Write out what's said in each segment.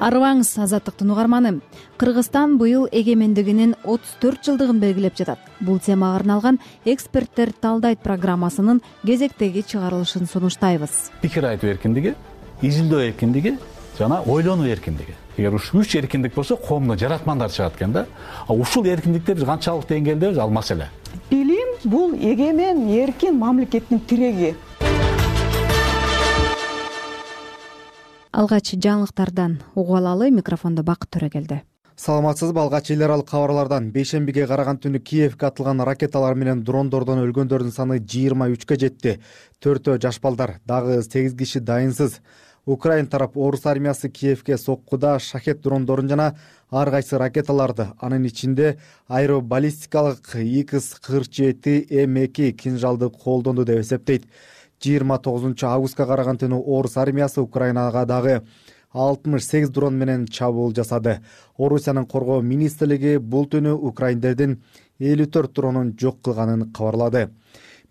Арыбаңыз, азаттыктын угарманы. Кыргызстан быйыл эгемендигинин 34 жылдыгын белгилеп жатат. Бул темага арналган эксперттер талдайт программасынын кезектеги чыгарылышын сунуштайбыз. Пикир айтуу эркиндиги, изилдөө эркиндиги жана ойлонуу эркиндиги. Эгер ушул 3 эркиндик болсо коомдо жаратмандар чыгат экен да. Ушул эркиндикти биз канчалык деңгээлдебиз, ал маселе. Билим бул эгемен, эркин мамлекеттин тиреги. Алгач жаңылыктардан угуп алалы. Микрофондо Бакыт Төрөгелди. Саламатсызбы? Алгач эл аралык кабарлардан бейшембиге караган түнү Киевге атылган ракеталар менен дрондордон өлгөндөрдүн саны 23-кө жетти. 4 жаш балдар, дагы 8 киши дайынсыз. Украин тарап орус армиясы Киевге соккуда шахет дрондорун жана ар кайсы ракеталарды, анын ичинде аэробаллистикалык X-47 М2 кинжалды колдонду деп эсептейт. 29 августка караган түнү орус армиясы Украинага дагы 68 дрон менен чабуул жасады. Орусиянын коргоо министрлиги бул түнү украиндердин 54 дронун жок кылганын кабарлады.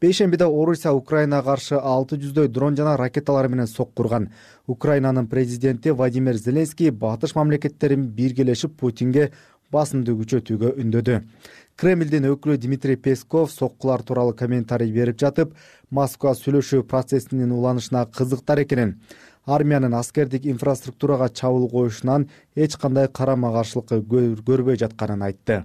Бейшембиде Орусия Украинага каршы 600дөй дрон жана ракеталар менен соккурган. Украинанын президенти Владимир Зеленский батыш мамлекеттерин биргелешип Путинге басымды күчөтүүгө үндөдү. Кремлдин өкүлү Дмитрий Песков соккулар тууралуу комментарий берип жатып, Москва сүйлөшүү процессинин уланышына кызыктар экенин, армиянын аскердик инфраструктурага чабуул коюшунан эч кандай карама-каршылык көрбөй жатканын айтты.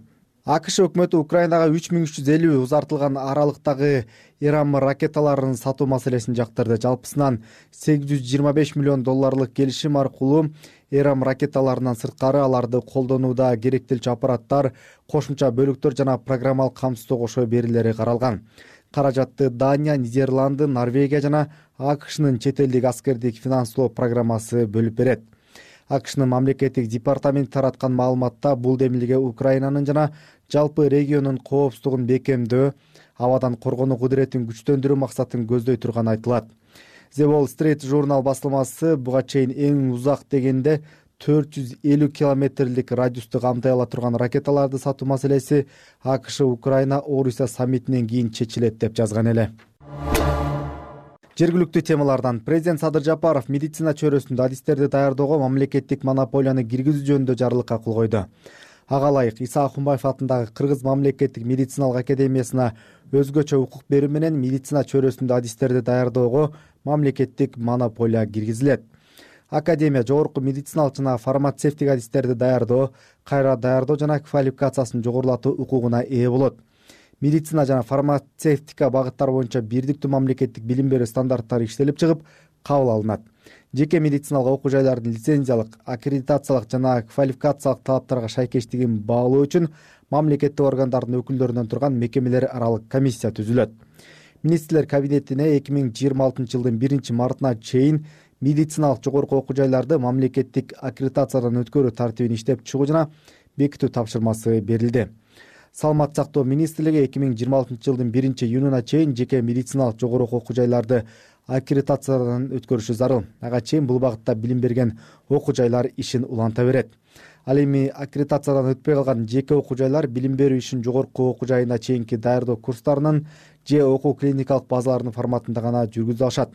АКШ өкмөтү Украинага 3350 узартылган аралыктагы Иран ракеталарын сатуу маселесин жактырды. Жалпысынан $825 миллион келишим аркылуу Иран ракеталарынан сырткары аларды колдонууда керектелчү аппараттар, кошумча бөлүктөр жана программалык камсыздоо кошо берилери каралган. Каражатты Дания, Нидерланды, Норвегия жана АКШнын чет элдик аскердик финанслоо программасы бөлүп берет. АКШнын мамлекеттик департаменти тараткан маалыматта бул демилге Украинанын жана жалпы региондун коопсуздугун бекемдөө, абадан коргонуу кудуретин күчтөндүрүү максатын көздөй турганы айтылат. The Wall Street журнал басылмасы буга чейин эң узак дегенде 450 километрлик радиусту камтай ала турган ракеталарды сатуу маселеси АКШ Украина Орусия саммитинен кийин чечилет деп жазган эле. Жергиликтүү темалардан президент Садыр Жапаров медицина чөйрөсүндө адистерди даярдоого мамлекеттик монополияны киргизүү жөнүндө жарлыкка кол койду. Ага ылайык Иса Акунбаев атындагы Кыргыз мамлекеттик медициналык академиясына өзгөчө укук берүү менен медицина чөйрөсүндө адистерди даярдоого мамлекеттик монополия киргизилет. Академия жогорку медициналык жана фармацевтик адистерди даярдоо, кайра даярдоо жана квалификациясын жогорулатуу укугуна ээ болот. Медицина жана фармацевтика багыттары боюнча бирдиктүү мамлекеттик билим берүү стандарттары иштелип чыгып, кабыл алынат. Жеке медициналык окуу жайлардын лицензиялык, аккредитациялык жана квалификациялык талаптарга шайкештигин баалоо үчүн мамлекеттик органдардын өкүлдөрүнөн турган мекемелер аралык комиссия түзүлөт. Министрлер кабинетине 2026 жылдын 1-мартына чейин медициналык жогорку окуу жайларды мамлекеттик аккредитациядан өткөрүү тартибин иштеп чыгуу жана бекитүү тапшырмасы берилди. Саламат сактоо министрлиги 2026 жылдын 1-июнуна чейин жеке медициналык жогорку окуу жайларды аккредитациядан өткөрүшү зарыл. Ага чейин бул багытта билим берген окуу жайлар ишин уланта берет. Ал эми аккредитациядан өтпөй калган жеке окуу жайлар билим берүү ишин жогорку окуу жайына чейинки даярдоо курстарынын же окуу клиникалык базаларынын форматында гана жүргүзө алышат.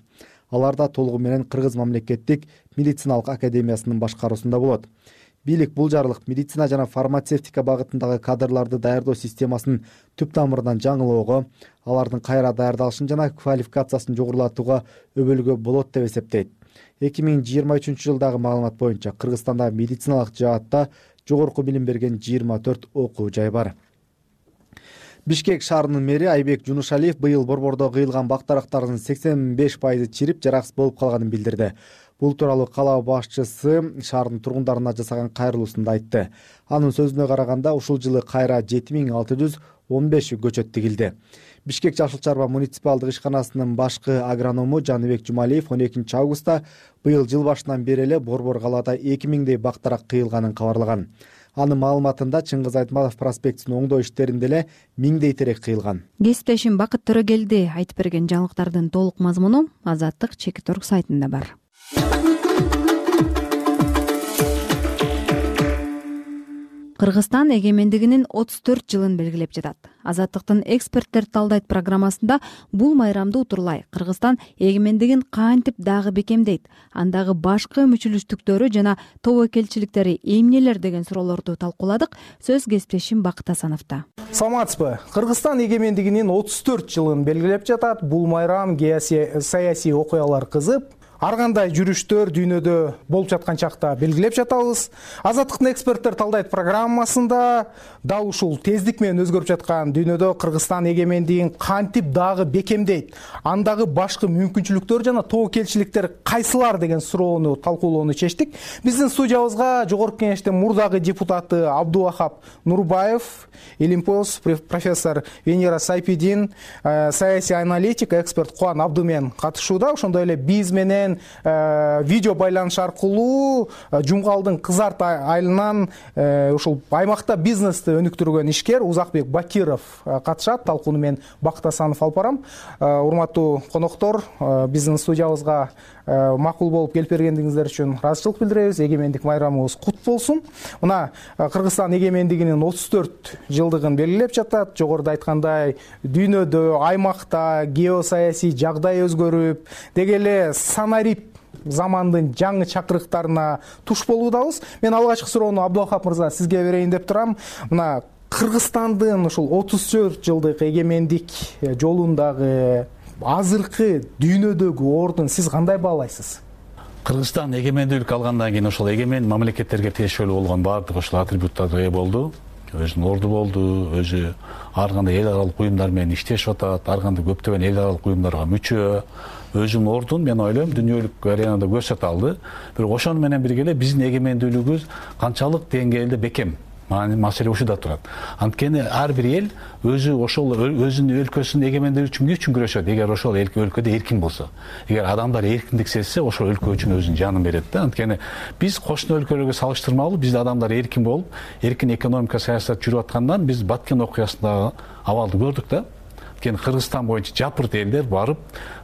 Алар да толугу менен Кыргыз мамлекеттик медициналык академиясынын башкаруусунда болот. Бийлик бул жарлык медицина жана фармацевтика багытындагы кадрларды даярдоо системасын түп тамырынан жаңылоого, алардын кайра даярдалышын жана квалификациясын жогорулатууга өбөлгө болот деп эсептейт. 2023 жылдагы маалымат боюнча Кыргызстанда медициналык жаатта жогорку билим берген 24 окуу жай бар. Бишкек шаарынын мэри Айбек Жунушалиев быйыл борбордо кыйылган бактарактардын 85% чирип жараксыз болуп калганын билдирди. Бул тууралуу кала башчысы шаардын тургундарына жасаган кайрылуусунда айтты. Анын сөзүнө караганда ушул жылы кайра 7615 көчөт тигилди. Бишкек Жашыл Чарба муниципалдык ишканасынын башкы агроному Жаныбек Жумалиев 12 августта быйыл жыл башынан бери эле борбор калаада 2000дей бактарак кыйылганын кабарлаган. Анын маалыматында Чыңгыз Айтматов проспектисин оңдоо иштеринде эле 1000дей терек кыйылган. Кесиптешим Бакыт Төрөгелди айтып берген жаңылыктардын толук мазмуну Азаттык Чекиторг сайтында бар. Кыргызстан эгемендигинин 34 жылын белгилеп жатат. Азаттыктын эксперттер талдайт программасында бул майрамды утурлай Кыргызстан эгемендигин кантип дагы бекемдейт, андагы башкы мүчүлүштүктөрү жана тобокелчиликтери эмнелер деген суроолорду талкууладык. Сөз кесиптешим Бакыт Асановдо. Саламатсызбы? Кыргызстан эгемендигинин 34 жылын белгилеп жатат. Бул майрам саясий окуялар кызып, ар кандай жүрүштөр дүйнөдө болуп жаткан чакта белгилеп жатабыз. Азаттыктын эксперттер талдайт программасында дал ушул тездик менен өзгөрүп жаткан дүйнөдө Кыргызстан эгемендигин кантип дагы бекемдейт, андагы башкы мүмкүнчүлүктөр жана тобокелчиликтер кайсылар деген суроону талкуулоону чечтик. Биздин студиябызга Жогорку Кеңештин мурдагы депутаты Абдувахап Нурбаев, Илимпоз профессор Венера Сайпидин, саясий аналитик, эксперт Кубан Абдумен катышууда. Ошондой эле биз менен видео байланыш аркылуу Жумгалдын Кызарт айылынан ушул аймакта бизнести өнүктүргөн ишкер Узакбек Бакиров катышат. Талкууну мен Бакыт Асанов алып барам. Урматтуу коноктор, биздин студиябызга макул болуп келип бергендиңиздер үчүн ыраазычылык билдиребиз. Эгемендик майрамыбыз кут болсун. Мына Кыргызстан эгемендигинин 34 жылдыгын белгилеп жатат. Жогоруда айткандай, дүйнөдө, аймакта геосаясий жагдай өзгөрүп, деги эле санарип замандын жаңы чакырыктарына туш болуудабыз. Мен алгачкы суроону Абдувахап мырза сизге берейин деп турам. Мына Кыргызстандын ушул 34 жылдык эгемендик жолундагы азыркы дүйнөдөгү ордун сиз кандай баалайсыз? Кыргызстан эгемендүүлүк алгандан кийин ошол эгемен мамлекеттерге тиешелүү болгон баардык ошол атрибуттарга ээ болду. Өзүнүн орду болду, өзү ар кандай эл аралык уюмдар менен иштешип атат, ар кандай көптөгөн эл аралык уюмдарга мүчө. Өзүнүн ордун мен ойлойм дүйнөлүк аренада көрсөтө алды. Бирок ошону менен бирге эле биздин эгемендүүлүгүбүз канчалык деңгээлде бекем? Маселе ушуда турат. Анткени ар бир эл өзү ошол өзүнүн өлкөсүнүн эгемендүүлүгү үчүн эмне үчүн күрөшөт? Эгер ошол өлкөдө эркин болсо, эгер адамдар эркиндик сезсе, ошол өлкө үчүн өзүнүн жанын берет да. Анткени биз кошуна өлкөлөргө салыштырмалуу, бизде адамдар эркин болуп, эркин экономика саясат жүрүп аткандан биз Баткен окуясындагы абалды көрдүк да. Анткени Кыргызстан боюнча жапырт элдер барып,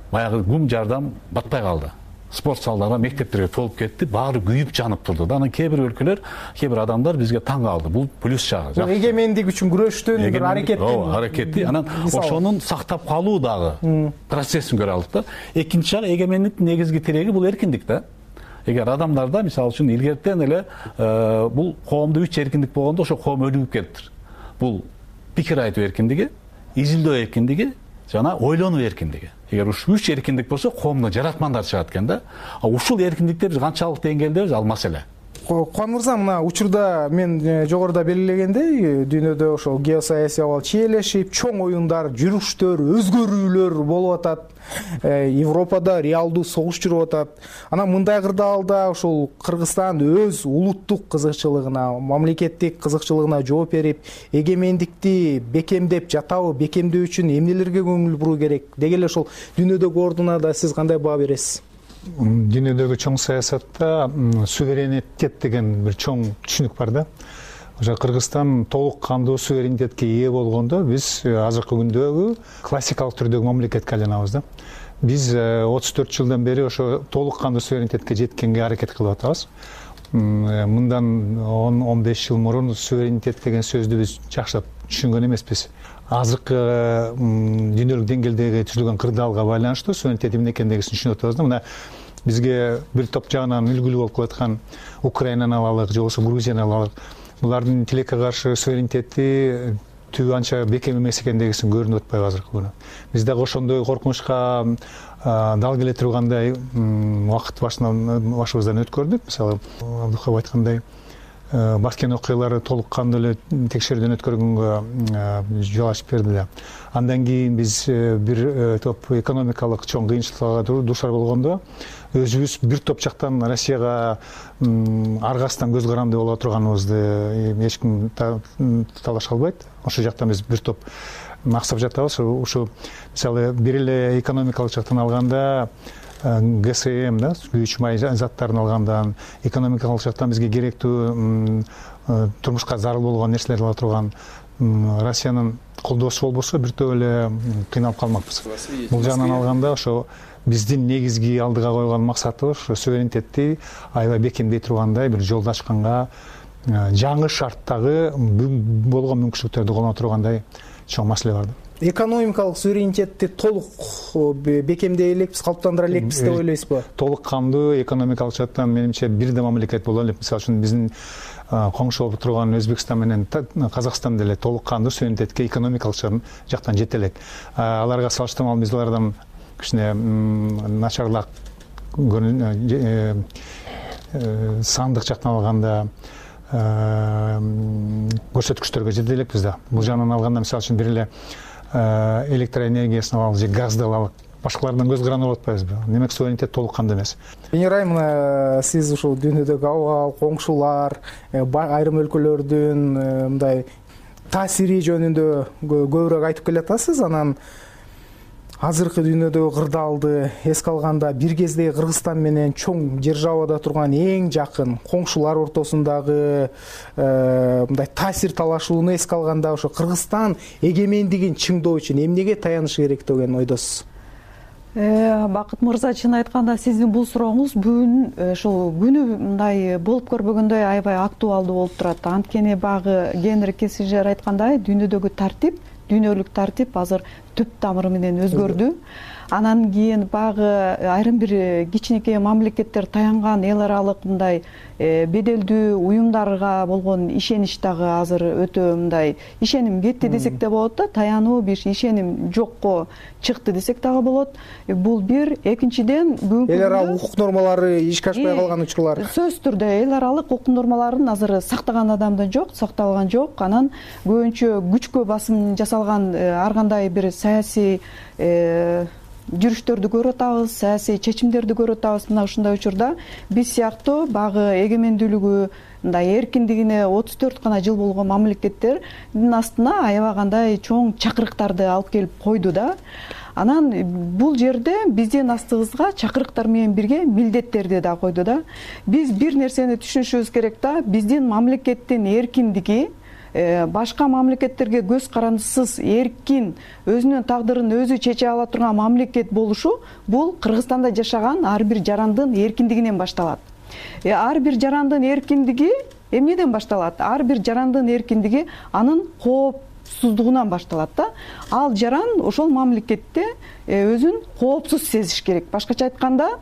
баягы гум жардам батпай калды. Спорт залдарга, мектептерге толуп кетти, баары күйүп жанып турду. Анан кээ бир өлкөлөр, кээ бир адамдар бизге таң калды. Бул плюс жагы. Эгемендик үчүн күрөштүн бир аракети. Анан ошонун сактап калуу дагы процессин көрө алдык да. Экинчи жагы эгемендиктин негизги тиреги бул эркиндик да. Эгер адамдарда, мисалы үчүн илгертен эле бул коомдо 3 эркиндик болгондо ошо коом өлүгүп кетиптир. Бул пикир айтуу эркиндиги, изилдөө эркиндиги жана ойлонуу эркиндиги. Эгер ушул 3 эркиндик болсо, коомдо жаратмандар чыгат экен да. Ушул эркиндикте биз канчалык деңгээлдебиз, ал маселе. Кубан мырза, мына учурда мен жогоруда белгилегендей, дүйнөдө ошол геосаясий абал чиелешип, чоң оюндар, жүрүштөр, өзгөрүүлөр болуп атат. Европада реалдуу согуш жүрүп атат. Анан мындай кырдаалда ошол Кыргызстан өз улуттук кызыкчылыгына, мамлекеттик кызыкчылыгына жооп берип, эгемендикти бекемдеп жатабы, бекемдөө үчүн эмнелерге көңүл буруу керек? Деги эле ошол дүйнөдөгү ордуна да сиз кандай баа бересиз? Дүйнөдөгү чоң саясатта суверенитет деген бир чоң түшүнүк бар да. Ошо Кыргызстан толук кандуу суверенитетке ээ болгондо биз азыркы күндөгү классикалык түрдөгү мамлекетке айланабыз да. Биз 34 жылдан бери ошо толук кандуу суверенитетке жеткенге аракет кылып атабыз. Мындан 10-15 жыл мурун суверенитет деген сөздү биз жакшылап түшүнгөн эмеспиз. Азыркы дүйнөлүк деңгээлдеги түзүлгөн кырдаалга байланыштуу суверенитет эмне экендигин түшүнүп атабыз да. Мына бизге бир топ жагынан үлгүлүү болуп калаткан Украинаны алалык, же болбосо Грузияны алалык. Булардын тилекке каршы суверенитети түбү анча бекем эмес экендигин көрүнүп атпайбы азыркы күнү. Биз дагы ошондой коркунучка дал келе тургандай убакыт башыбыздан өткөрдүк. Мисалы, Абдухап айткандай, Баткен окуялары толук кандуу эле текшерүүдөн өткөргөнгө жол ачып берди да. Андан кийин биз бир топ экономикалык чоң кыйынчылыкка дуушар болгондо өзүбүз бир топ жактан Россияга аргасынан көз каранды боло турганыбызды эч ким талаша албайт. Ошол жактан биз бир топ максап жатабыз. Ушу мисалы бир эле экономикалык жактан алганда ГСМ да, күйүүчү май заттарын алгандан, экономикалык жактан бизге керектүү турмушка зарыл болгон нерселерди ала турган Россиянын колдоосу болбосо бир топ эле кыйналып калмакпыз. Бул жагынан алганда ошо биздин негизги алдыга койгон максатыбыз ошо суверенитетти аябай бекемдей тургандай бир жолду ачканга, жаңы шарттагы болгон мүмкүнчүлүктөрдү колдоно тургандай чоң маселе бар да. Экономикалык суверенитетти толук бекемдей элекпиз, калыптандыра элекпиз деп ойлойсузбу? Толук кандуу экономикалык жактан менимче бир да мамлекет боло элек. Мисалы үчүн биздин коңшу болуп турган Өзбекстан менен Казакстан деле толук кандуу суверенитетке экономикалык жактан жете элек. Аларга салыштырмалуу биз алардан кичине начарлак сандык жактан алганда көрсөткүчтөргө жете элекпиз да. Бул жагынан алганда мисалы үчүн бир эле электроэнергиясын алалы же газды алалы, башкалардан көз каранып болуп атпайбызбы? Демек суверенитет толук кандуу эмес. Венера айымына сиз ушул дүйнөдөгү абал, коңшулар, айрым өлкөлөрдүн мындай таасири жөнүндө көбүрөөк айтып келатасыз. Анан азыркы дүйнөдөгү кырдаалды эске алганда бир кезде Кыргызстан менен чоң державада турган эң жакын коңшулар ортосундагы мындай таасир талашууну эске алганда ошо Кыргызстан эгемендигин чыңдоо үчүн эмнеге таянышы керек деген ойдосуз? Бакыт мырза, чын айтканда сиздин бул сурооңуз бүгүн ушул күнү мындай болуп көрбөгөндөй аябай актуалдуу болуп турат. Анткени багы Генри Киссинджер айткандай, дүйнөдөгү тартип, дүйнөлүк тартип азыр түп тамыры менен өзгөрдү. Анан кийин багы айрым бир кичинекей мамлекеттер таянган эл аралык мындай беделдүү уюмдарга болгон ишенич дагы азыр өтө мындай ишеним кетти десек да болот да, таянуу бир ишеним жокко чыкты десек дагы болот. Бул бир. Экинчиден, бүгүнкү эл аралык укук нормалары ишке ашпай калган учурлар. Сөзсүз түрдө эл аралык укук нормаларын азыр сактаган адам да жок, сакталган жок. Анан көбүнчө күчкө басым жасалган ар кандай бир саясий жүрүштөрдү көрүп атабыз, саясий чечимдерди көрүп атабыз. Мына ушундай учурда биз сыяктуу багы эгемендүүлүгү мындай эркиндигине 34 гана жыл болгон мамлекеттердин астына аябагандай чоң чакырыктарды алып келип койду да. Анан бул жерде биздин астыбызга чакырыктар менен бирге милдеттерди да койду да. Биз бир нерсени түшүнүшүбүз керек да, биздин мамлекеттин эркиндиги башка мамлекеттерге көз карандысыз эркин өзүнүн тагдырын өзү чече ала турган мамлекет болушу бул Кыргызстанда жашаган ар бир жарандын эркиндигинен башталат. Ар бир жарандын эркиндиги эмнеден башталат? Ар бир жарандын эркиндиги анын коопсуздугунан башталат да. Ал жаран ошол мамлекетте өзүн коопсуз сезиш керек. Башкача айтканда,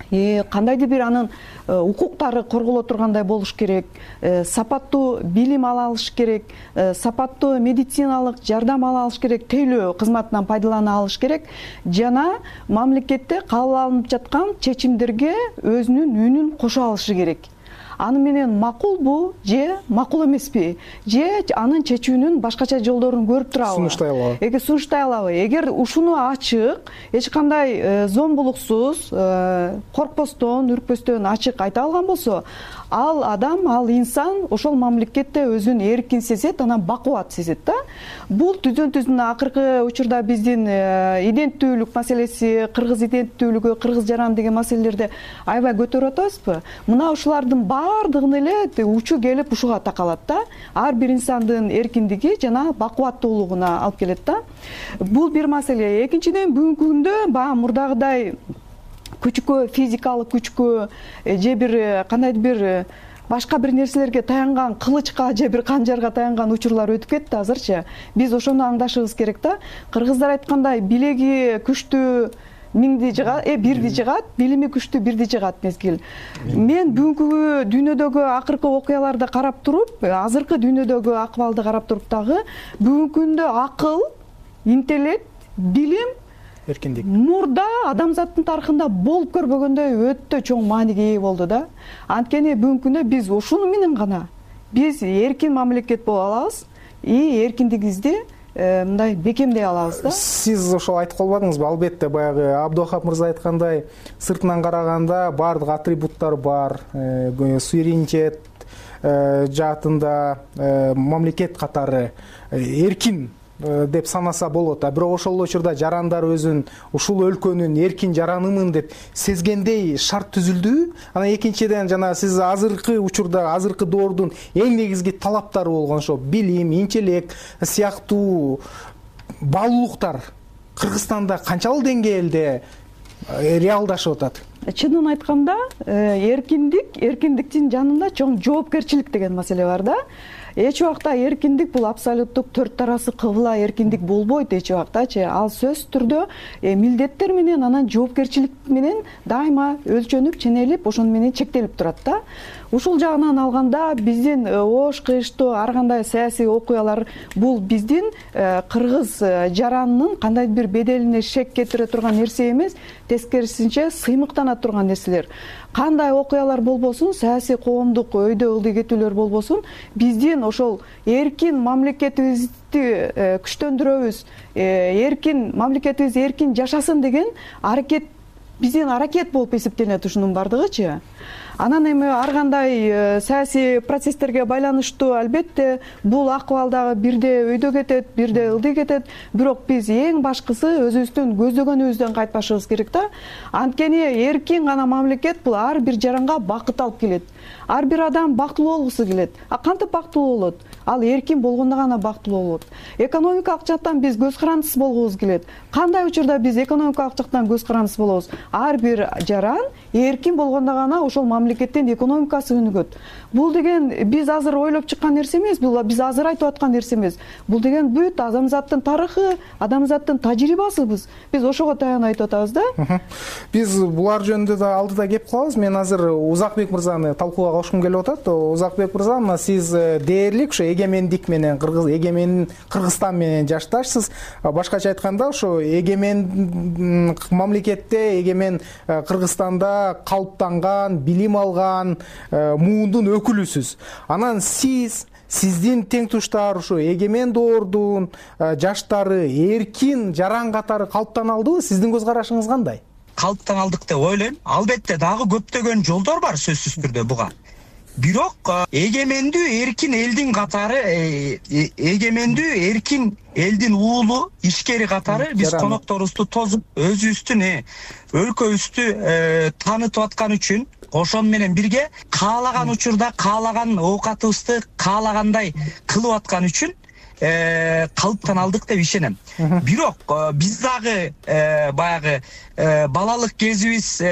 кандайдыр бир анын укуктары корголо тургандай болуш керек, сапаттуу билим ала алыш керек, сапаттуу медициналык жардам ала алыш керек, тейлөө кызматынан пайдалана алыш керек жана мамлекетте кабыл алынып жаткан чечимдерге өзүнүн үнүн кошо алышы керек. Аны менен макулбу же макул эмеспи, же анын чечүүнүн башкача жолдорун көрүп турабы, сунуштай алабы. Эгер ушуну ачык, эч кандай зомбулуксуз, коркпостон, үркпөстөн ачык айта алган болсо, ал адам, ал инсан ошол мамлекетте өзүн эркин сезет, анан бакубат сезет да. Бул түздөн-түз акыркы учурда биздин иденттүүлүк маселеси, кыргыз иденттүүлүгү, кыргыз жаран деген маселелерди аябай көтөрүп атабызбы? Мына ушулардын баардыгын эле учу келип ушуга такалат да. Ар бир инсандын эркиндиги жана бакубаттуулугуна алып келет да. Бул бир маселе. Экинчиден, бүгүнкү күндө баягы мурдагыдай күчкө, физикалык күчкө же бир кандайдыр бир башка бир нерселерге таянган, кылычка же бир канжарга таянган учурлар өтүп кетти азырчы. Биз ошону аңдашыбыз керек да. Кыргыздар айткандай, билеги күчтүү миңди жыгат, бирди жыгат, билими күчтүү бирди жыгат мезгил. Мен бүгүнкү дүйнөдөгү акыркы окуяларды карап туруп, азыркы дүйнөдөгү акыбалды карап туруп дагы бүгүнкү күндө акыл, интеллект, билим, эркиндик мурда адамзаттын тарыхында болуп көрбөгөндөй өтө чоң мааниге ээ болду да. Анткени бүгүнкү күндө биз ушуну менен гана биз эркин мамлекет боло алабыз и эркиндигибизди мындай бекемдей алабыз да. Сиз ошол айтып калбадыңызбы? Албетте, баягы Абдухап мырза айткандай, сыртынан караганда баардык атрибуттар бар, суверенитет жаатында мамлекет катары эркин деп санаса болот. Бирок ошол учурда жарандар өзүн ушул өлкөнүн эркин жаранымын деп сезгендей шарт түзүлдүбү? Анан экинчиден, жана сиз азыркы учурда, азыркы доордун эң негизги талаптары болгон ошо билим, интеллект сыяктуу баалуулуктар Кыргызстанда канчалык деңгээлде реалдашып атат? Чынын айтканда, эркиндиктин жанында чоң жоопкерчилик деген маселе бар да. эч убакта эркиндик бул абсолюттук төрт тарасы кыбла эркиндик болбойт эч убактачы. Ал сөзсүз түрдө милдеттер менен анан жоопкерчилик менен дайыма өлчөнүп, ченелип, ошону менен чектелип турат да. Ушул жагынан алганда биздин оош кыйыштуу ар кандай саясий окуялар бул биздин кыргыз жаранынын кандайдыр бир беделине шек кетире турган нерсе эмес, тескерисинче сыймыктана турган нерселер. Кандай окуялар болбосун, саясий коомдук өйдө ылдый кетүүлөр болбосун, биздин ошол эркин мамлекетибизди күчтөндүрөбүз, эркин мамлекетибиз эркин жашасын деген аракет биздин аракет болуп эсептелет ушунун бардыгычы. Анан эми ар кандай саясий процесстерге байланыштуу албетте бул акыбал дагы бирде өйдө кетет, бирде ылдый кетет. Бирок биз эң башкысы өзүбүздүн көздөгөнүбүздөн кайтпашыбыз керек да. Анткени эркин гана мамлекет бул ар бир жаранга бакыт алып келет. Ар бир адам бактылуу болгусу келет. Кантип бактылуу болот? Ал эркин болгондо гана бактылуу болот. Экономикалык жактан биз көз карандысыз болгубуз келет. Кандай учурда биз экономикалык жактан көз карандысыз болобуз? Ар бир жаран эркин болгондо гана ошол мамлекеттин экономикасы өнүгөт. Бул деген биз азыр ойлоп чыккан нерсе эмес, бул биз азыр айтып аткан нерсе эмес. Бул деген бүт адамзаттын тарыхы, адамзаттын тажрыйбасыбыз. Биз ошого таянып айтып атабыз да. Биз булар жөнүндө да алдыда кеп калабыз. Мен азыр Узакбек мырзаны талкууга кошкум келип атат. Узакбек мырза, мына сиз дээрлик ушу эгемендик менен Кыргызстан менен жашташсыз. Башкача айтканда, ошо эгемен мамлекетте, эгемен Кыргызстанда калыптанган, билим алган муундун өкүлүсүз. Анан сиздин теңтуштар ушу эгемен доордун жаштары эркин жаран катары калыптана алдыбы? Сиздин көз карашыңыз кандай? Калыптан алдык деп ойлойм. Албетте дагы көптөгөн жолдор бар сөзсүз түрдө буга. Бирок эгемендүү эркин элдин катары, эгемендүү эркин элдин уулу, ишкери катары биз конокторубузду тосуп, өзүбүздүн өлкөбүздү таанытып аткан үчүн, ошону менен бирге каалаган учурда каалаган оокатыбызды каалагандай кылып аткан үчүн калыптан алдык деп ишенем. Бирок биз дагы баягы балалык кезибиз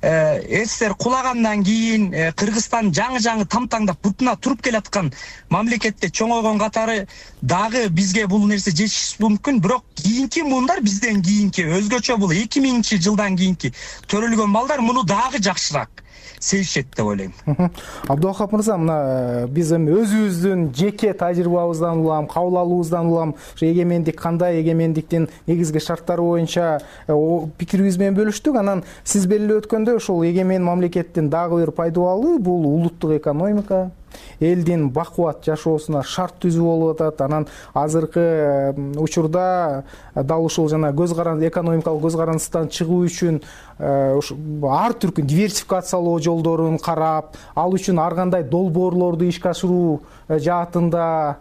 СССР кулагандан кийин Кыргызстан жаңы тамтаңдап бутуна туруп келаткан мамлекетте чоңойгон катары дагы бизге бул нерсе жетишпеш мүмкүн. Бирок кийинки муундар бизден кийинки өзгөчө бул 2000-жылдан кийинки төрөлгөн балдар муну дагы жакшыраак сезишет деп ойлойм. Абдувахап мырза, мына биз эми өзүбүздүн жеке тажрыйбабыздан улам, кабыл алуубуздан улам ушу эгемендик кандай, эгемендиктин негизги шарттары боюнча пикирибиз менен бөлүштүк. Анан сиз белгилеп өткөндөй, ошол эгемен мамлекеттин дагы бир пайдубалы бул улуттук экономика, элдин бакубат жашоосуна шарт түзүү болуп атат. Анан азыркы учурда дал ушул жана экономикалык көз карандыстан чыгуу үчүн ар түркүн диверсификациялоо жолдорун карап, ал үчүн ар кандай долбоорлорду ишке ашыруу жаатында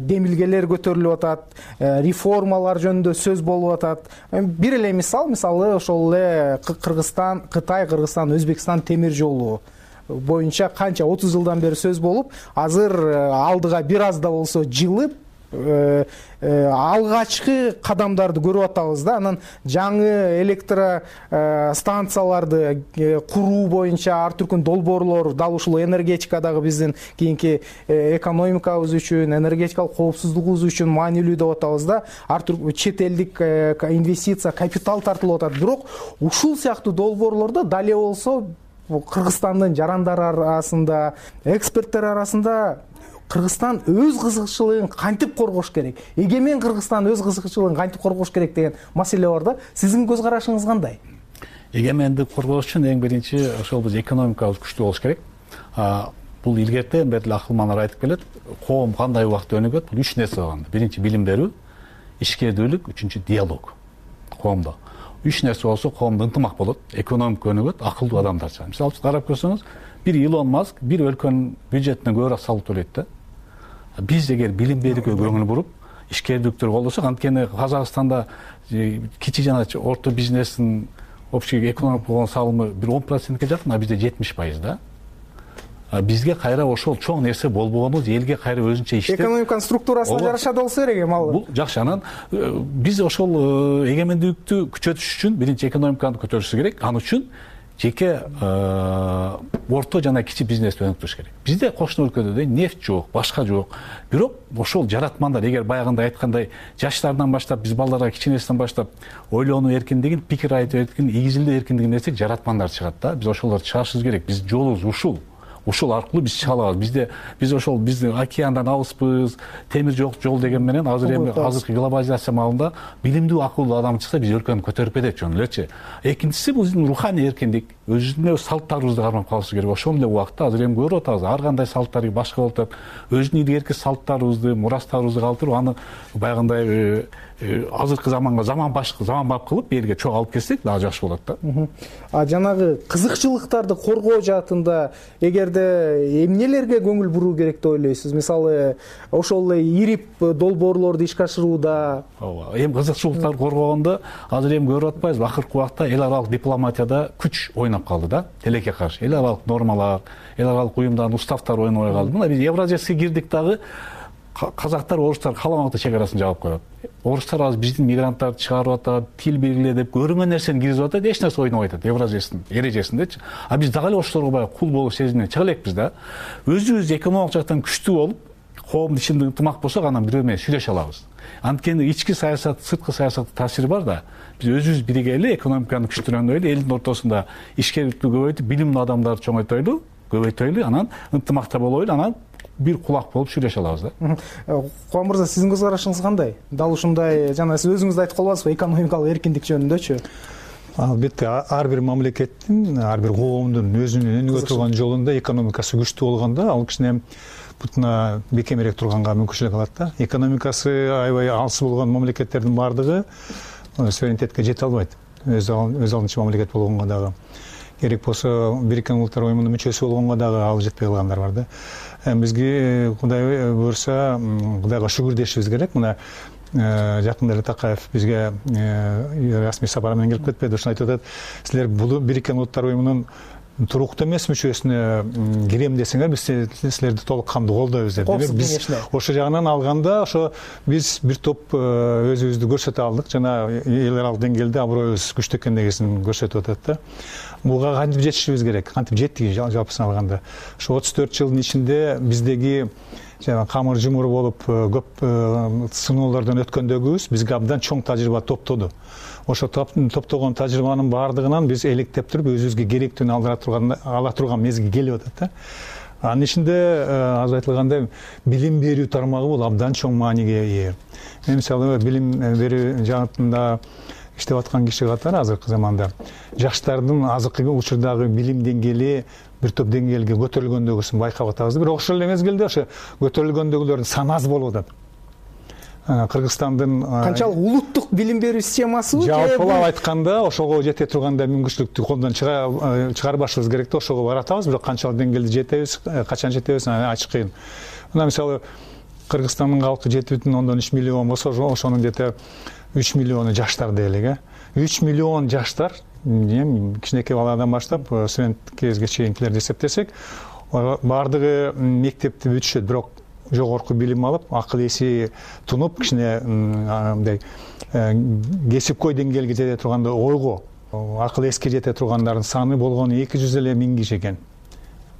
демилгелер көтөрүлүп атат, реформалар жөнүндө сөз болуп атат. Бир эле мисалы ошол эле Кыргызстан, Кытай, Кыргызстан, Өзбекстан темир жолу боюнча канча 30 жылдан бери сөз болуп, азыр алдыга бир аз да болсо жылып, алгачкы кадамдарды көрүп атабыз да. Анан жаңы электростанцияларды куруу боюнча ар түркүн долбоорлор дал ушул энергетикадагы биздин кийинки экономикабыз үчүн, энергетикалык коопсуздугубуз үчүн маанилүү деп атабыз да. Ар түркүн чет элдик инвестиция, капитал тартылып атат. Бирок ушул сыяктуу долбоорлордо дале болсо Кыргызстандын жарандары арасында, эксперттер арасында Кыргызстан өз кызыкчылыгын кантип коргош керек, эгемен Кыргызстан өз кызыкчылыгын кантип коргош керек деген маселе бар да. Сиздин көз карашыңыз кандай? Эгемендик коргош үчүн эң биринчи ошол биз экономикабыз күчтүү болуш керек. Бул илгертен бери акылмандар айтып келет. Коом кандай убакытта өнүгөт? Бул 3 нерсе бар. Биринчи билим берүү, ишкердүүлүк, үчүнчү диалог коомдо. 3 нерсе болсо коомдо ынтымак болот, экономика өнүгөт, акылдуу адамдар чыгат. Мисалы үчүн карап көрсөңүз, бир Илон Маск бир өлкөнүн бюджетине көбүрөөк салык төлөйт да. Биз эгер билим берүүгө көңүл буруп, ишкердүүлүктү колдосок, анткени Казакстанда кичи жана орто бизнестин общий экономика болгон салымы бир 10%ке жакын, а бизде 70% да. Бизге кайра ошол чоң нерсе болбогонубуз, элге кайра өзүнчө иштеп, экономиканын структурасына жараша болсо керек эми ал. Бул жакшы. Анан биз ошол эгемендүүлүктү күчөтүш үчүн биринчи экономиканы көтөрүшүбүз керек. Ал үчүн жеке орто жана кичи бизнести өнүктүрүш керек. Бизде кошуна өлкөдө нефть жок, башка жок. Бирок ошол жаратмандар, эгер баягындай айткандай жаштардан баштап, биз балдарга кичинесинен баштап ойлонуу эркиндигин, пикир айтуу эркиндигин, игизилдөө эркиндигин нерсек жаратмандар чыгат да. Биз ошолорду чыгарышыбыз керек. Биз жолубуз ушул. Ушул аркылуу биз чыга алабыз. Биз ошол биздин океандан алыспыз, темир жок жол деген менен азыр эми азыркы глобализация маалында билимдүү, акылдуу адам чыкса биз өлкөнү көтөрүп кетет жөн элечи. Экинчиси бул биздин руханий эркиндик, өзүнүн салттарыбызды кармап калышыбыз керек. Ошол эле убакытта азыр эми көрүп атабыз, ар кандай салттар башка болуп атат. Өзүнүн илгерки салттарыбызды, мурастарыбызды калтырып, аны баягындай азыркы заманга заманбап кылып элге чогуу алып келсек дагы жакшы болот да. Жанагы кызыкчылыктарды коргоо жаатында эгерде эмнелерге көңүл буруу керек деп ойлойсуз? Мисалы, ошол эле ирип долбоорлорду ишке ашырууда. Ооба, эми кызыкчылыктарды коргогондо азыр эми көрүп атпайбызбы, акыркы убакта эл аралык дипломатияда күч ойноп калды да, тилекке каршы. Эл аралык нормалар, эл аралык уюмдардын уставтары ойнобой калды. Мына биз Евразияга кирдик дагы, казактар, орустар каалаган чегарасын жаап коет. Орустар азыр биздин мигранттарды чыгарып атат, тил белгиле деп көрүнгөн нерсени киргизип атат, эч нерсе ойнобой атат Евразиянын эрежесиндечи. А биз дагы эле ошолорго баягы кул болуу сезиминен чыга элекпиз да. Өзүбүз экономикалык жактан күчтүү болуп, коомдун ичинде ынтымак болсок, анан бирөө менен сүйлөшө алабыз. Анткени ички саясат, сырткы саясаттын таасири бар да. Биз өзүбүз биригели, экономиканы күчтүндөйлү, элдин ортосунда ишкерликти көбөйтүп, билимдүү адамдарды чоңойтойлу, көбөйтөйлү, анан ынтымакта болойлу, анан бир кулак болуп сүйлөшө алабыз да. Кубан мырза, сиздин көз карашыңыз кандай? Дал ушундай, жана сиз өзүңүз да айтып калбадыңызбы, экономикалык эркиндик жөнүндөчү? Албетте, ар бир мамлекеттин, ар бир коомдун өзүнүн өнүгө турган жолунда экономикасы күчтүү болгондо, ал кичине бутуна бекемирээк турганга мүмкүнчүлүк алат да. Экономикасы аябай алыс болгон мамлекеттердин баардыгы суверенитетке жете албайт. Өз алдынча мамлекет болгонго дагы. Керек болсо Бириккен Улуттар уюмунун мүчөсү болгонго дагы ал жетпей калгандар бар да. Бизге Кудай буйрса, Кудайга шүгүр дешибиз керек. Мына жакында эле Такаев бизге расмий сапар менен келип кетпеди. Ошону айтып атат, силер бул Бириккен Улуттар уюмунун туруктуу эмес мүчөсүнө кирем десеңер, биз силерди толук кандуу колдойбуз деп. Демек биз ошо жагынан алганда, ошо биз бир топ өзүбүздү көрсөтө алдык, жана эл аралык деңгээлде аброюбуз күчтүү экендигин көрсөтүп атат да. Буга кантип жетишибиз керек? Кантип жеттик жалпысын алганда? Ошо 34 жылдын ичинде биздеги жана камыр жумур болуп көп сыноолордон өткөндөгүбүз бизге абдан чоң тажрыйба топтоду. Ошо топтогон тажрыйбанын баардыгынан биз электеп туруп өзүбүзгө керектүүнү ала турган мезгил келип атат да. Анын ичинде азыр айтылгандай билим берүү тармагы бул абдан чоң мааниге ээ. Мен мисалы билим берүү жаатында иштеп аткан киши катары азыркы заманда жаштардын азыркы учурдагы билим деңгээли бир топ деңгээлге көтөрүлгөндөгүсүн байкап атабыз. Бирок ошол эле мезгилде ошо көтөрүлгөндөгүлөрдүн саны аз болуп атат. Кыргызстандын канчалык улуттук билим берүү системасы жалпылап айтканда ошого жете тургандай мүмкүнчүлүктү колдон чыгарбашыбыз керек да. Ошого баратабыз, бирок канчалык деңгээлде жетебиз, качан жетебиз, ачык кыйын. Мына мисалы Кыргызстандын калкы 7,3 миллион болсо, ошонун где-то 3 миллиону жаштар дейлик. 3 миллион жаштар, кичинекей баладан баштап студент кезге чейинкилерди эсептесек, баардыгы мектепти бүтүшөт, бирок жогорку билим алып, акыл эси тунуп, кичине мындай кесипкөй деңгээлге жете турганда, ойго, акыл эске жете тургандардын саны болгону 200 эле миң киши экен.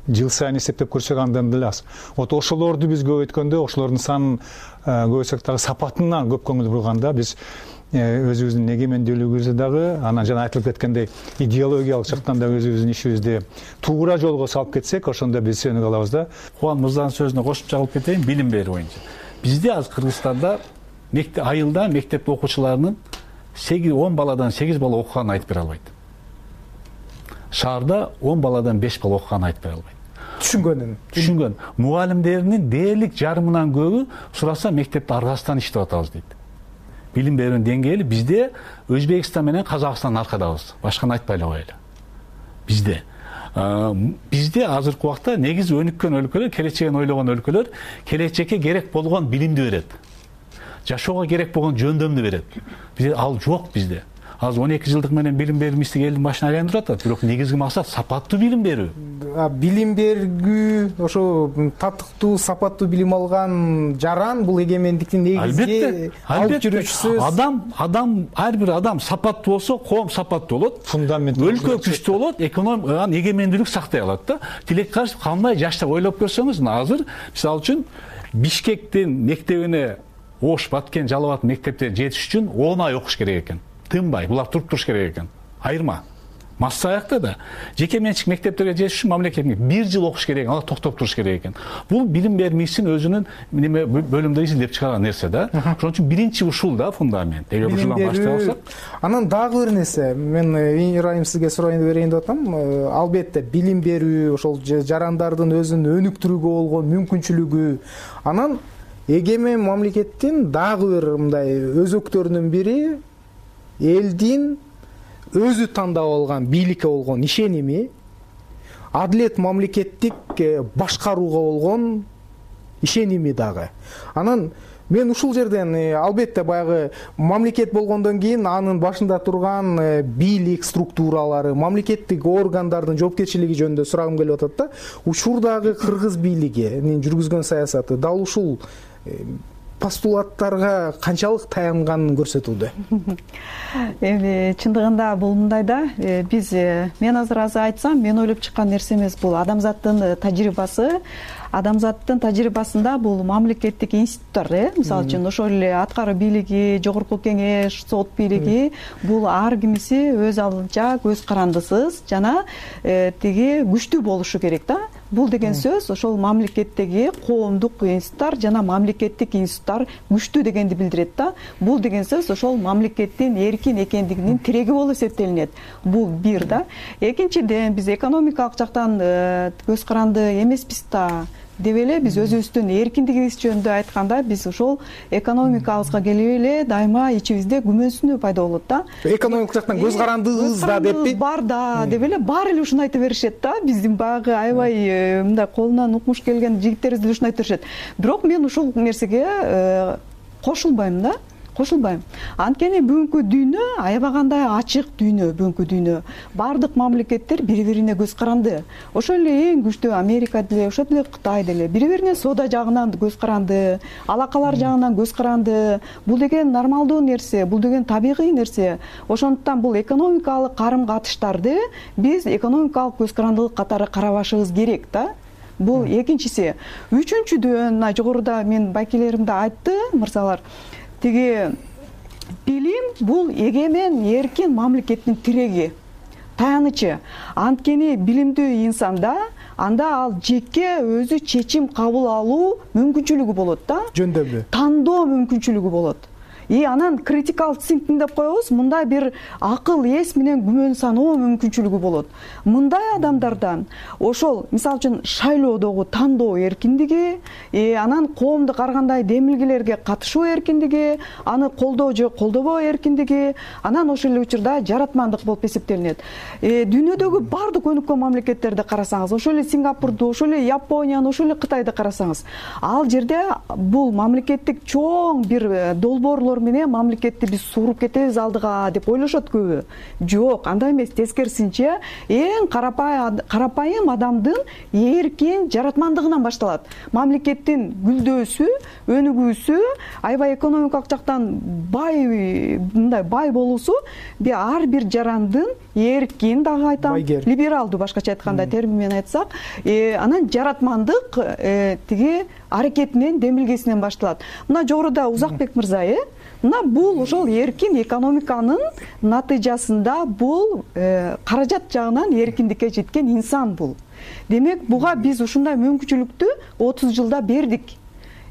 Жыл сайын эсептеп көрсөк андан деле аз. Ошолорду биз көбөйткөндө, ошолордун санын көбөйтсөк дагы сапатына көп көңүл бурганда, биз өзүбүздүн эгемендүүлүгүбүздү дагы, анан жана айтылып кеткендей идеологиялык жактан да өзүбүздүн ишибизди туура жолго салып кетсек, ошондо биз өнүгө алабыз да. Кубан мырзанын сөзүнө кошумча кылып кетейин, билим берүү боюнча. Бизде азыр Кыргызстанда айылда мектеп окуучуларынын 10 баладан 8 бала окуганын айтып бере албайт. Шаарда 10 баладан 5 бала окуганын айтып бере албайт. Түшүнгөн. Мугалимдеринин дээрлик жарымынан көбү сураса мектепте аргасынан иштеп атабыз дейт. Билим берүүнүн деңгээли бизде Өзбекстан менен Казакстан аркадабыз. Башканы айтпай эле коелу. Бизде азыркы убакта негизи өнүккөн өлкөлөр, келечегин ойлогон өлкөлөр келечекке керек болгон билимди берет. Жашоого керек болгон жөндөмдү берет. Бизде ал жок бизде. Азыр 12 жылдык менен билим берүү мистик элдин башына айландырып атат, бирок негизги максат сапаттуу билим берүү. билим бергүү, ошо татыктуу сапаттуу билим алган жаран бул эгемендиктин негизги алып жүрүүчүсү. Адам ар бир адам сапаттуу болсо, коом сапаттуу болот, фундамент өлкө күчтүү болот, экономиканын эгемендүүлүк сактай алат да. Тилекке кандай жаштап ойлоп көрсөңүз, азыр мисалы үчүн Бишкектин мектебине Ош, Баткен, Жалал Абад мектепте жетиш үчүн 10 ай окуш керек экен. Тынбай, булар туруп туруш керек экен. Айырма. Масса аякта да жеке менчик мектептерге жетиш үчүн мамлекеттик 1 жыл окуш керек, ала токтоп туруш керек экен. Бул билим бермичтин өзүнүн неме бөлүмдө изилдеп чыгарган нерсе да. Ошон үчүн биринчи ушул да фундамент. Эгер ушулдан баштап алсак. Анан дагы бир нерсе, мен Ирайым сизге сурайын берейин деп атам. Албетте билим берүү, ошол жарандардын өзүн өнүктүрүүгө болгон мүмкүнчүлүгү. Анан эгемен мамлекеттин дагы бир мындай өзөктөрүнүн бири элдин өзү тандап алган бийликке болгон ишеними, адилет мамлекеттик башкарууга болгон ишеними дагы. Анан мен ушул жерден албетте баягы мамлекет болгондон кийин анын башында турган бийлик структуралары, мамлекеттик органдардын жоопкерчилиги жөнүндө сурагым келип атат да. Учурдагы кыргыз бийлигинин жүргүзгөн саясаты дал ушул постулаттарга канчалык таянганын көрсөтүүдө. Эми чындыгында бул мындай да, мен азыр айтсам, мен ойлоп чыккан нерсе эмес, бул адамзаттын тажрыйбасы. Адамзаттын тажрыйбасында бул мамлекеттик институттар, мисалы үчүн ошол эле аткаруу бийлиги, жогорку кеңеш, сот бийлиги, бул ар кимиси өз алдынча көз карандысыз жана тиги күчтүү болушу керек да. Бул деген сөз ошол мамлекеттеги коомдук институттар жана мамлекеттик институттар күчтүү дегенди билдирет да. Бул деген сөз ошол мамлекеттин эркин экендигинин тиреги болуп эсептелинет. Бул бир да. Экинчиден, биз экономикалык жактан көз каранды эмеспиз да деп эле биз өзүбүздүн эркиндигибиз жөнүндө айтканда, биз ошол экономикабызга келип эле дайыма ичибизде күмөнсүнүү пайда болот да. Экономикалык жактан көз карандыбыз да деппи? Бар да деп эле баары эле ушуну айта беришет да. Биздин багы аябай мындай колунан укмуш келген жигиттерибиз деле ушуну айта беришет. Бирок мен ушул нерсеге кошулбайм да. Кошулбайм. Анткени бүгүнкү дүйнө аябагандай ачык дүйнө, бүгүнкү дүйнө. Бардык мамлекеттер бири-бирине көз каранды. Ошол эле эң күчтүү Америка деле, ошол эле Кытай деле бири-бирине соода жагынан көз каранды, алакалар жагынан көз каранды. Бул деген нормалдуу нерсе, бул деген табигый нерсе. Ошондуктан бул экономикалык карым-катыштарды биз экономикалык көз карандылык катары карабашыбыз керек да. Бул экинчиси. Үчүнчүдөн, жогоруда мен байкелеримде айтты мырзалар, тиги билим бул эгемен эркин мамлекеттин тиреги, таянычы. Анткени билимдүү инсанда анда ал жеке өзү чечим кабыл алуу мүмкүнчүлүгү болот да. Жөндөмдүү. Тандоо мүмкүнчүлүгү болот. Анан critical thinking деп коебуз, мындай бир акыл эс менен күмөн саноо мүмкүнчүлүгү болот. Мындай адамдардан ошол мисалы үчүн шайлоодогу тандоо эркиндиги, анан коомдук ар кандай демилгелерге катышуу эркиндиги, аны колдоо же колдобоо эркиндиги, анан ошол эле учурда жаратмандык болуп эсептелинет. Дүйнөдөгү бардык өнүккөн мамлекеттерди карасаңыз, ошол эле Сингапурду, ошол эле Японияны, ошол эле Кытайды карасаңыз, ал жерде бул мамлекеттик чоң бир долбоорлор менен мамлекетти биз сууруп кетебиз алдыга деп ойлошот көбү. Жок, андай эмес, тескерисинче эң карапайым адамдын эркин жаратмандыгынан башталат. Мамлекеттин гүлдөөсү, өнүгүүсү, аябай экономикалык жактан бай болуусу ар бир жарандын эркин, дагы айтам, либералдуу башкача айтканда термин менен айтсак, анан жаратмандык тиги аракетинен, демилгесинен башталат. Мына жогоруда Узакбек мырза, мына бул ошол эркин экономиканын натыйжасында бул каражат жагынан эркиндикке жеткен инсан бул. Демек, буга биз ушундай мүмкүнчүлүктү 30 жылда бердик.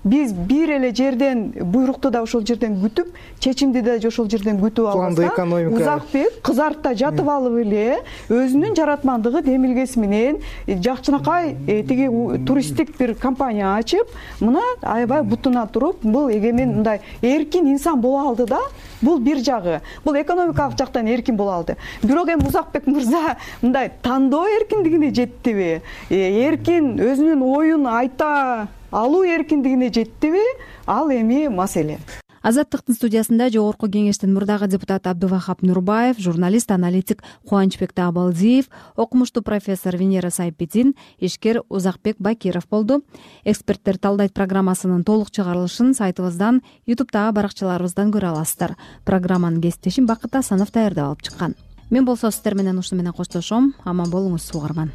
Биз бир эле жерден буйрукту да ошол жерден күтүп, чечимди да ошол жерден күтүп алганда, Узакбек кызартта жатып алып эле өзүнүн жаратмандыгы демилгеси менен жакчынакай тиги туристтик бир компания ачып, мына аябай бутуна туруп, бул эгемен мындай эркин инсан боло алды да. Бул бир жагы. Бул экономикалык жактан эркин боло алды. Бирок эми Узакбек мырза мындай тандоо эркиндигине жеттиби? Эркин өзүнүн оюн айта алуу эркиндигине жеттиби? Ал эми маселе. Азаттыктын студиясында жогорку кеңештин мурдагы депутаты Абдувахап Нурбаев, журналист, аналитик Кубанычбек Таабалдиев, окумуштуу профессор Венера Сайпетин, ишкер Узакбек Бакиров болду. Эксперттер талдайт программасынын толук чыгарылышын сайтыбыздан, YouTube'дагы баракчаларыбыздан көрө аласыздар. Программанын кесиптешим Бакыт Асанов даярдап алып чыккан. Мен болсо сиздер менен ушуну менен коштошом. Аман болуңуз, угарман.